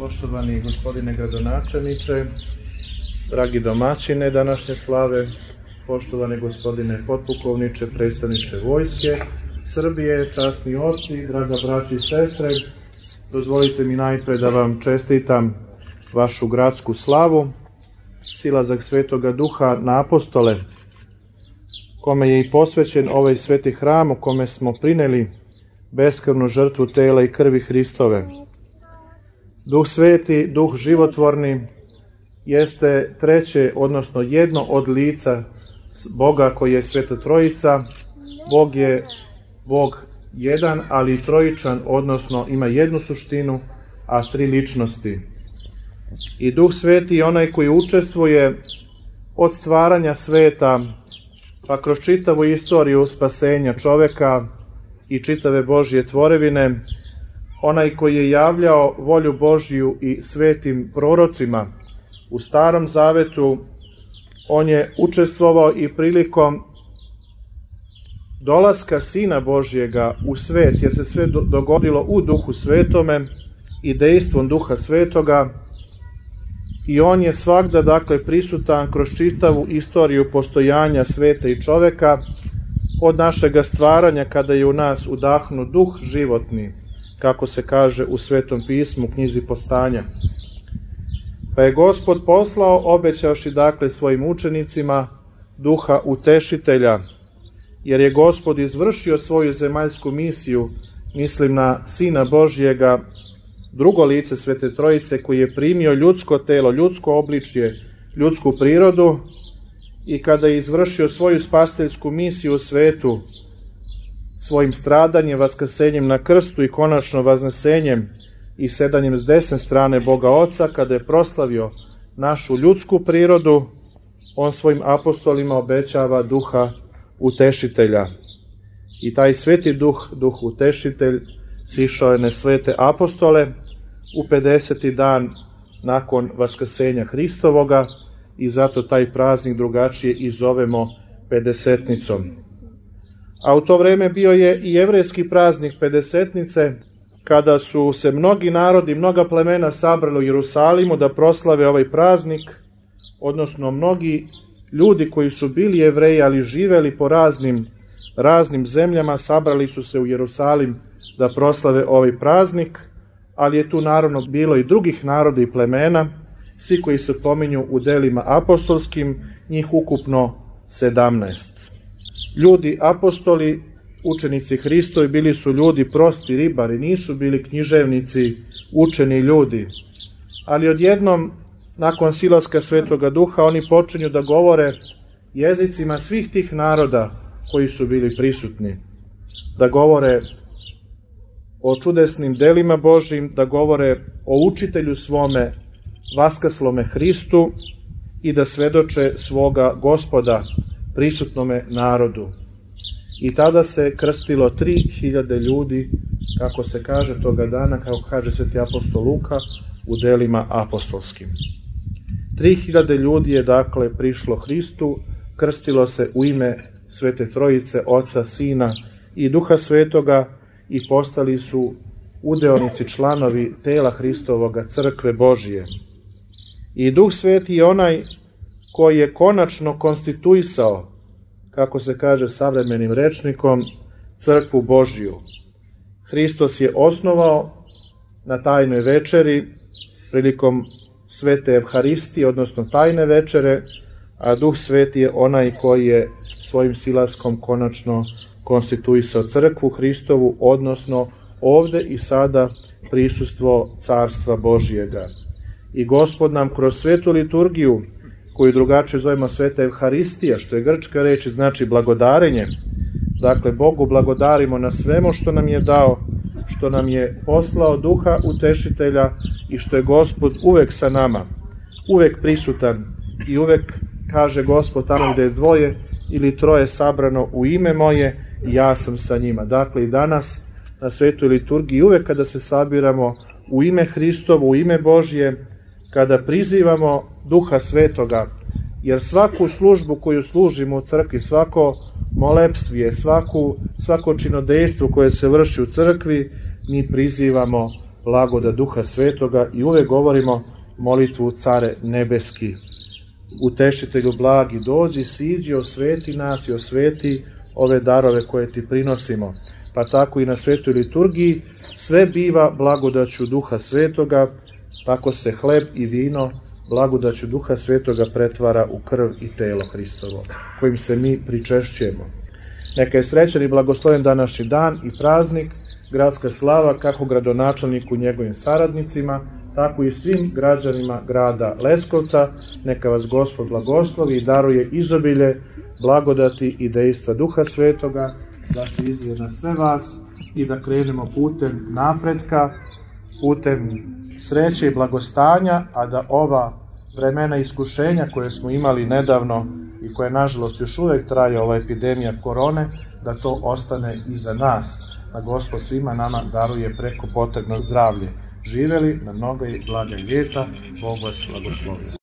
Poštovani gospodine gradonačelniče, dragi domaćine današnje slave, poštovani gospodine potpukovniče, predstavniče Vojske Srbije, časni oci, draga braći i sestre, dozvolite mi najpre da vam čestitam vašu gradsku slavu, silazak Svetoga Duha na apostole, kome je i posvećen ovaj sveti hram u kome smo prineli beskrvnu žrtvu tela i krvi Hristove. Duh sveti, duh životvorni, jeste treće, odnosno jedno od lica Boga koji je Sveta Trojica. Bog je Bog jedan, ali i trojičan, odnosno ima jednu suštinu, a tri ličnosti. I Duh sveti je onaj koji učestvuje od stvaranja sveta, pa kroz čitavu istoriju spasenja čoveka i čitave Božje tvorevine, onaj koji je javljao volju Božju i svetim prorocima u Starom Zavetu, on je učestvovao i prilikom dolaska Sina Božjega u svet, jer se sve dogodilo u Duhu Svetome i dejstvom Duha Svetoga, i on je svagda, dakle, prisutan kroz čitavu istoriju postojanja sveta i čoveka, od našega stvaranja kada je u nas udahnut duh životni, kako se kaže u Svetom pismu, knjizi Postanja. Pa je Gospod poslao, obećavši dakle svojim učenicima, Duha Utešitelja, jer je Gospod izvršio svoju zemaljsku misiju, mislim na Sina Božjega, drugo lice Svete Trojice, koji je primio ljudsko telo, ljudsko obličje, ljudsku prirodu, i kada je izvršio svoju spasiteljsku misiju u svetu, svojim stradanjem, vaskrsenjem na krstu i konačno vaznesenjem i sedanjem s desne strane Boga Oca, kada je proslavio našu ljudsku prirodu, on svojim apostolima obećava Duha Utešitelja. I taj sveti duh, Duh Utešitelj, sišao je na svete apostole u 50. dan nakon vaskrsenja Hristovoga, i zato taj praznik drugačije i zovemo Pedesetnicom. A u to vreme bio je i jevrejski praznik Pedesetnice, kada su se mnogi narodi, mnoga plemena sabrali u Jerusalimu da proslave ovaj praznik, odnosno mnogi ljudi koji su bili Jevreji, ali živeli po raznim zemljama, sabrali su se u Jerusalim da proslave ovaj praznik, ali je tu naravno bilo i drugih naroda i plemena, svi koji se pominju u delima apostolskim, njih ukupno 17. Ljudi apostoli, učenici Hristovi, bili su ljudi prosti ribari, nisu bili književnici, učeni ljudi. Ali odjednom, nakon silaska Svetoga Duha, oni počinju da govore jezicima svih tih naroda koji su bili prisutni. Da govore o čudesnim delima Božjim, da govore o učitelju svome, vaskrslome Hristu, i da svedoče svoga Gospoda prisutnome narodu. I tada se krstilo 3000 ljudi, kako se kaže toga dana, kako kaže sveti apostol Luka u delima apostolskim. 3000 ljudi je dakle prišlo Hristu, krstilo se u ime Svete Trojice, Oca, Sina i Duha Svetoga, i postali su udeonici, članovi tela Hristovoga, crkve Božije. I Duh Sveti je onaj koji je konačno konstituisao, kako se kaže savremenim rečnikom, crkvu Božiju. Hristos je osnovao na tajnoj večeri, prilikom svete Evharistije, odnosno tajne večere, a Duh Sveti je onaj koji je svojim silaskom konačno konstituisao crkvu Hristovu, odnosno ovde i sada prisustvo Carstva Božijega. I Gospod nam kroz svetu liturgiju, koju drugačije zovemo sveta Evharistija, što je grčka reč i znači blagodarenje, dakle Bogu blagodarimo na svemu što nam je dao, što nam je poslao Duha Utešitelja i što je Gospod uvek sa nama, uvek prisutan, i uvek kaže Gospod, tamo gde je 2 ili 3 sabrano u ime moje, ja sam sa njima. Dakle i danas na svetoj liturgiji, uvek kada se sabiramo u ime Hristovo, u ime Božje, kada prizivamo Duha Svetoga, jer svaku službu koju služimo u crkvi, svako molepstvije, svako činodejstvo koje se vrši u crkvi, mi prizivamo blagodat Duha Svetoga i uvek govorimo molitvu Care nebeski. Utešitelju blagi, dođi, siđi, osveti nas i osveti ove darove koje ti prinosimo. Pa tako i na svetoj liturgiji sve biva blagodaću Duha Svetoga, tako se hleb i vino blagodaću Duha Svetoga pretvara u krv i telo Hristovo, kojim se mi pričešćujemo. Neka je srećan i blagosloven današnji dan i praznik, gradska slava kako gradonačelniku i njegovim saradnicima, tako i svim građanima grada Leskovca. Neka vas Gospod blagoslovi i daruje izobilje blagodati i dejstva Duha Svetoga, da se izlije na sve vas i da krenemo putem napretka, putem sreće i blagostanja, a da ova vremena iskušenja koje smo imali nedavno i koje nažalost još uvek traje, ova epidemija korone, da to ostane iza nas, da Gospod svima nama daruje preko potrebno zdravlje. Živeli na mnoga i blaga ljeta, Bog vas blagoslovi.